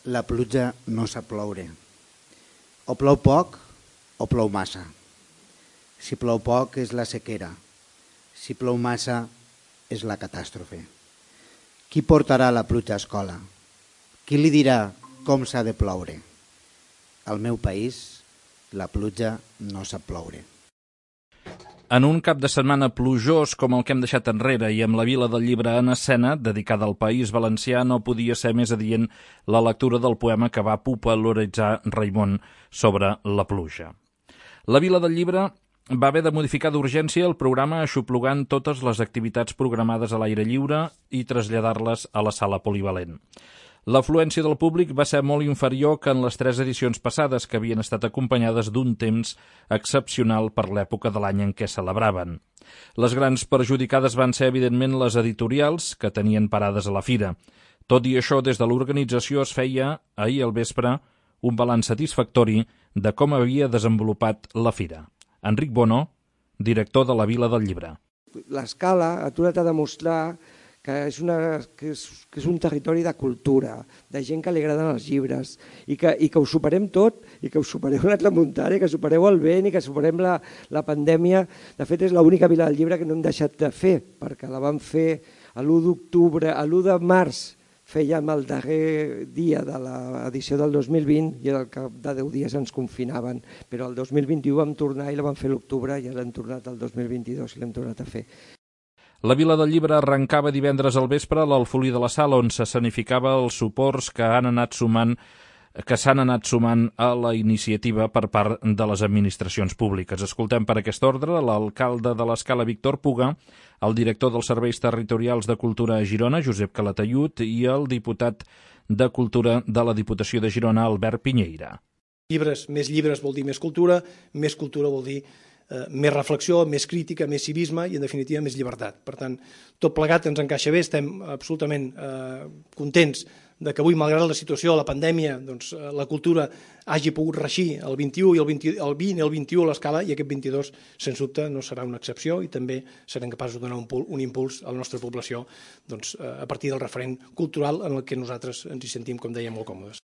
La pluja no sap ploure. O plou poc o plou massa. Si plou poc és la sequera. Si plou massa és la catàstrofe. Qui portarà la pluja a escola? Qui li dirà com s'ha de ploure? Al meu país, la pluja no sap ploure. En un cap de setmana plujós com el que hem deixat enrere i amb la Vila del Llibre en escena, dedicada al País Valencià, no podia ser més adient la lectura del poema que va popularitzar Raimon sobre la pluja. La Vila del Llibre va haver de modificar d'urgència el programa aixoplugant totes les activitats programades a l'aire lliure i traslladar-les a la sala polivalent. L'afluència del públic va ser molt inferior que en les 3 edicions passades, que havien estat acompanyades d'un temps excepcional per l'època de l'any en què celebraven. Les grans perjudicades van ser, evidentment, les editorials, que tenien parades a la fira. Tot i això, des de l'organització es feia, ahir al vespre, un balanç satisfactori de com havia desenvolupat la fira. Enric Bono, director de la Vila del Llibre. L'Escala ha tornat a demostrar que és un territori de cultura, de gent que li agraden els llibres, i que ho superem tot, i que ho supereu la tramuntana, i que supereu el vent, i que superem la pandèmia. De fet, és l'única Vila del Llibre que no hem deixat de fer, perquè la vam fer l'1 d'octubre, l'1 de març, fèiem el darrer dia de l'edició del 2020 i al cap de 10 dies ens confinaven, però el 2021 vam tornar i la vam fer l'octubre i ara hem tornat el 2022 i l'hem tornat a fer. La Vila del Llibre arrencava divendres al vespre a l'Alfolí de la Sala, on s'escenificava els suports que s'han anat sumant a la iniciativa per part de les administracions públiques. Escoltem per aquest ordre l'alcalde de l'Escala, Víctor Puga, el director dels Serveis Territorials de Cultura a Girona, Josep Calatayud, i el diputat de Cultura de la Diputació de Girona, Albert Pinyeira. Més llibres vol dir més cultura vol dir més reflexió, més crítica, més civisme i, en definitiva, més llibertat. Per tant, tot plegat ens encaixa bé, estem absolutament contents de que avui, malgrat la situació, la pandèmia, la cultura hagi pogut reeixir el 21 i el 20 i el 21 a l'Escala, i aquest 22, sens dubte, no serà una excepció i també serem capaços de donar un impuls a la nostra població a partir del referent cultural en el que nosaltres ens hi sentim, com dèiem, molt còmodes.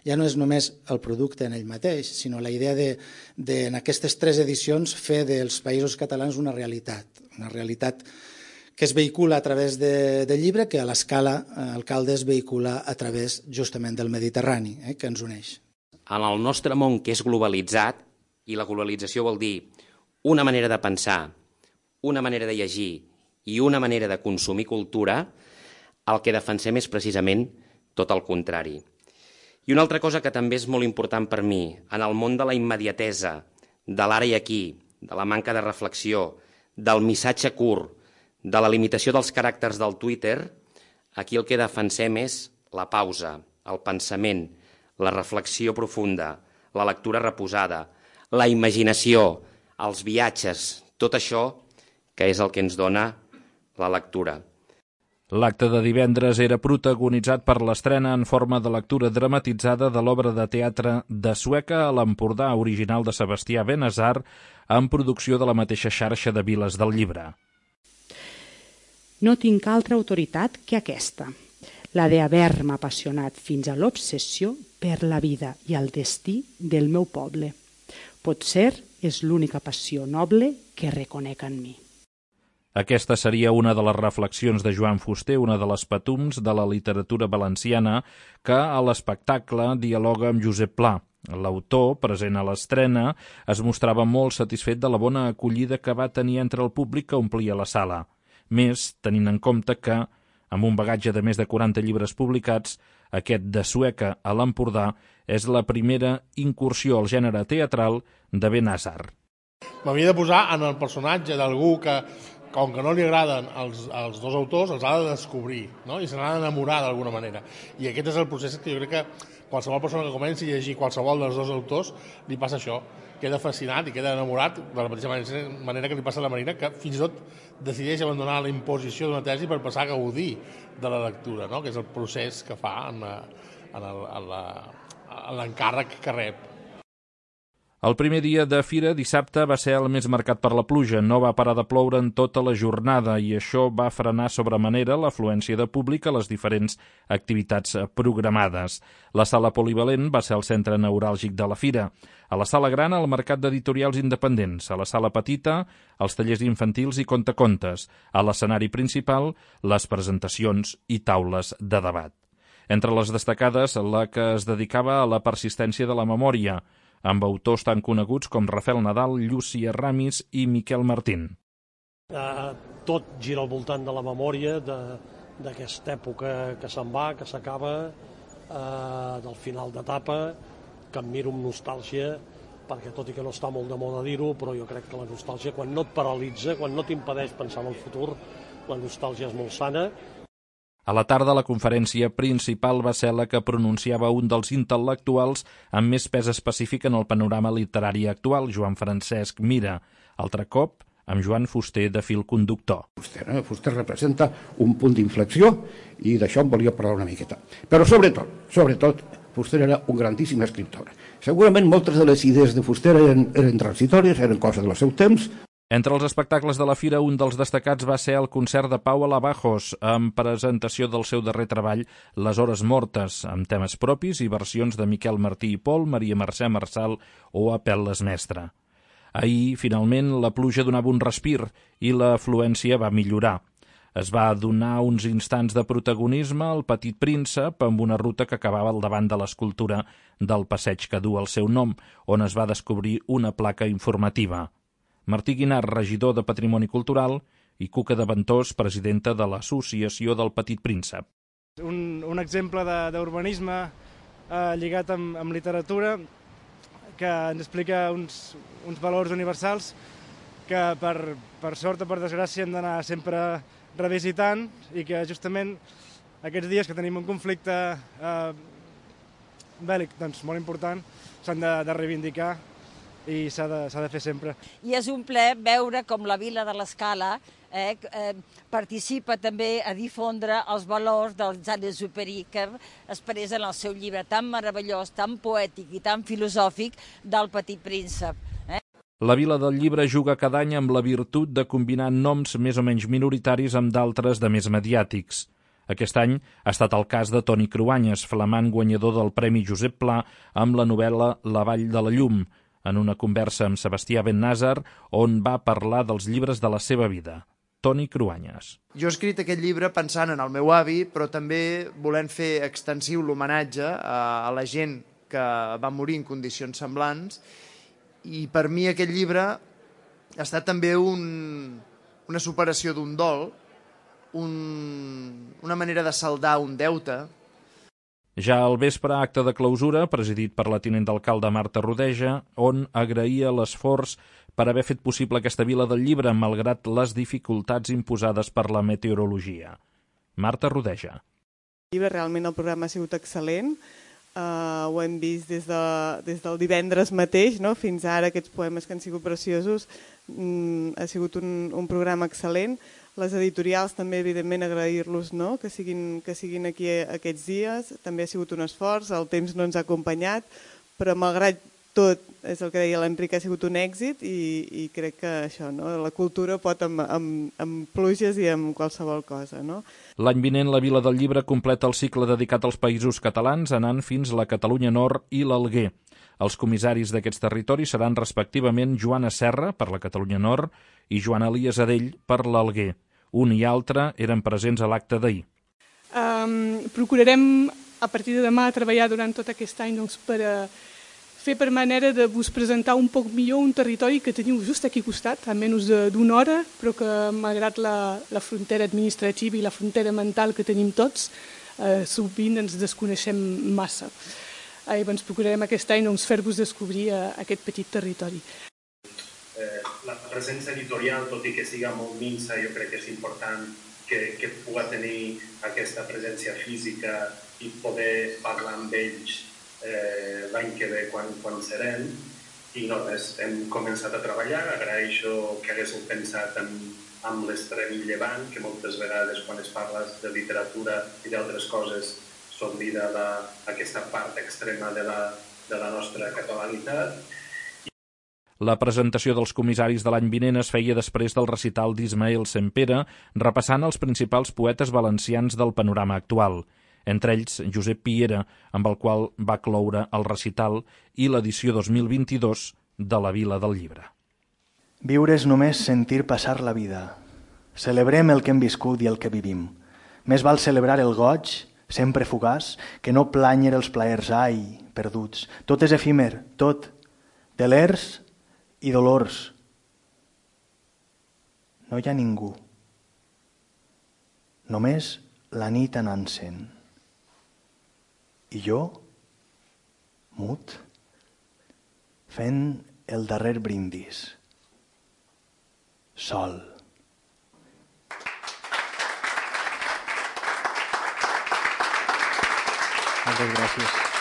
Ja no és només el producte en ell mateix, sinó la idea de en aquestes 3 edicions, fer dels Països Catalans una realitat que es vehicula a través del llibre, que a l'Escala Alcalde es vehicula a través justament del Mediterrani, que ens uneix. En el nostre món, que és globalitzat, i la globalització vol dir una manera de pensar, una manera de llegir i una manera de consumir cultura, el que defensem és precisament tot el contrari. I una altra cosa que també és molt important per mi, en el món de la immediatesa, de l'ara i aquí, de la manca de reflexió, del missatge curt, de la limitació dels caràcters del Twitter, aquí el que defensem és la pausa, el pensament, la reflexió profunda, la lectura reposada, la imaginació, els viatges, tot això que és el que ens dona la lectura. L'acte de divendres era protagonitzat per l'estrena en forma de lectura dramatitzada de l'obra de teatre de Sueca a l'Empordà, original de Sebastià Benazar, en producció de la mateixa xarxa de Viles del Llibre. No tinc altra autoritat que aquesta, la d'haver-me apassionat fins a l'obsessió per la vida i el destí del meu poble. Potser és l'única passió noble que reconec en mi. Aquesta seria una de les reflexions de Joan Fuster, una de les patums de la literatura valenciana, que a l'espectacle dialoga amb Josep Pla. L'autor, present a l'estrena, es mostrava molt satisfet de la bona acollida que va tenir entre el públic que omplia la sala. Més, tenint en compte que, amb un bagatge de més de 40 llibres publicats, aquest de Sueca a l'Empordà és la primera incursió al gènere teatral de Benazar. M'havia de posar en el personatge d'algú que, com que no li agraden els 2 autors, els ha de descobrir, no? I se n'ha d'enamorar d'alguna manera. I aquest és el procés que jo crec que qualsevol persona que comenci a llegir qualsevol dels 2 autors li passa això, queda fascinat i queda enamorat de la mateixa manera que li passa a la Marina, que fins i tot decideix abandonar la imposició d'una tesi per passar a gaudir de la lectura, no? Que és el procés que fa en l'encàrrec que rep. El primer dia de fira, dissabte, va ser el més marcat per la pluja. No va parar de ploure en tota la jornada i això va frenar sobremanera l'afluència de públic a les diferents activitats programades. La sala polivalent va ser el centre neuràlgic de la fira. A la sala gran, el mercat d'editorials independents. A la sala petita, els tallers infantils i contacontes. A l'escenari principal, les presentacions i taules de debat. Entre les destacades, la que es dedicava a la persistència de la memòria, amb autors tan coneguts com Rafael Nadal, Llúcia Ramis i Miquel Martín. Tot gira al voltant de la memòria d'aquesta època que se'n va, que s'acaba, del final d'etapa, que em miro amb nostàlgia, perquè tot i que no està molt de moda dir-ho, però jo crec que la nostàlgia, quan no et paralitza, quan no t'impedeix pensar en el futur, la nostàlgia és molt sana. A la tarda, la conferència principal va ser la que pronunciava un dels intel·lectuals amb més pes específic en el panorama literari actual, Joan Francesc Mira. Altre cop, amb Joan Fuster de fil conductor. Fuster representa un punt d'inflexió i d'això em volia parlar una miqueta. Però sobretot, Fuster era un grandíssim escriptor. Segurament moltes de les idees de Fuster eren transitòries, eren coses del seu temps. Entre els espectacles de la fira, un dels destacats va ser el concert de Pau Alabajos, amb presentació del seu darrer treball, Les hores mortes, amb temes propis i versions de Miquel Martí i Pol, Maria Mercè Marçal o Apel·les Mestre. Ahir, finalment, la pluja donava un respir i l'afluència va millorar. Es va donar uns instants de protagonisme al Petit Príncep amb una ruta que acabava al davant de l'escultura del passeig que du el seu nom, on es va descobrir una placa informativa. Martí Guinart, regidor de Patrimoni Cultural, i Cuca de Ventós, presidenta de l'Associació del Petit Príncep. Un exemple d'urbanisme lligat amb literatura que ens explica uns valors universals que per sort o per desgràcia hem d'anar sempre revisitant i que justament aquests dies que tenim un conflicte bèl·lic molt important s'han de reivindicar i s'ha de fer sempre. I és un plaer veure com la Vila de l'Escala participa també a difondre els valors del Saint-Exupéry que expressa en el seu llibre tan meravellós, tan poètic i tan filosòfic del Petit Príncep. La Vila del Llibre juga cada any amb la virtut de combinar noms més o menys minoritaris amb d'altres de més mediàtics. Aquest any ha estat el cas de Toni Cruanyes, flamant guanyador del Premi Josep Pla amb la novel·la La Vall de la Llum, en una conversa amb Sebastià Bennàsar, on va parlar dels llibres de la seva vida. Toni Cruanyes. Jo he escrit aquest llibre pensant en el meu avi, però també volent fer extensiu l'homenatge a la gent que va morir en condicions semblants, i per mi aquest llibre ha estat també una superació d'un dol, una manera de saldar un deute. Ja al vespre, acte de clausura, presidit per la tinent d'alcalde Marta Rodeja, on agraïa l'esforç per haver fet possible aquesta Vila del Llibre, malgrat les dificultats imposades per la meteorologia. Marta Rodeja. Realment el programa ha sigut excel·lent, ho hem vist des del divendres mateix, fins ara aquests poemes que han sigut preciosos, ha sigut un programa excel·lent. Les editorials també, evidentment, agrair-los que siguin aquí aquests dies. També ha sigut un esforç, el temps no ens ha acompanyat, però malgrat tot, és el que deia l'Enric, ha sigut un èxit i crec que això, la cultura pot amb pluges i amb qualsevol cosa. L'any vinent la Vila del Llibre completa el cicle dedicat als països catalans, anant fins la Catalunya Nord i l'Alguer. Els comissaris d'aquests territoris seran respectivament Joana Serra, per la Catalunya Nord, i Joan Elias Adell, per l'Alguer. Un i altre eren presents a l'acte d'ahir. Procurarem, a partir de demà, treballar durant tot aquest any per fer per manera de vos presentar un poc millor un territori que teniu just aquí al costat, a menys d'una hora, però que, malgrat la frontera administrativa i la frontera mental que tenim tots, sovint ens desconeixem massa. Llavors procurarem aquest any fer-vos descobrir aquest petit territori. La presència editorial, tot i que siga molt minsa, jo crec que és important que pugui tenir aquesta presència física i poder parlar amb ells l'any que ve quan serem. I no res, hem començat a treballar, agraeixo que haguéssiu pensat en l'extrem llevant, que moltes vegades quan es parla de literatura i d'altres coses s'oblida aquesta part extrema de la nostra catalanitat. La presentació dels comissaris de l'any vinent es feia després del recital d'Ismael Sempere, repassant els principals poetes valencians del panorama actual, entre ells Josep Piera, amb el qual va cloure el recital i l'edició 2022 de la Vila del Llibre. Viure és només sentir passar la vida. Celebrem el que hem viscut i el que vivim. Més val celebrar el goig, sempre fugaç, que no planyer els plaers, ai, perduts. Tot és efímer, tot, delers i dolors. No hi ha ningú. Només la nit anant-se'n. I jo, mut, fent el darrer brindis. Sol. Moltes gràcies.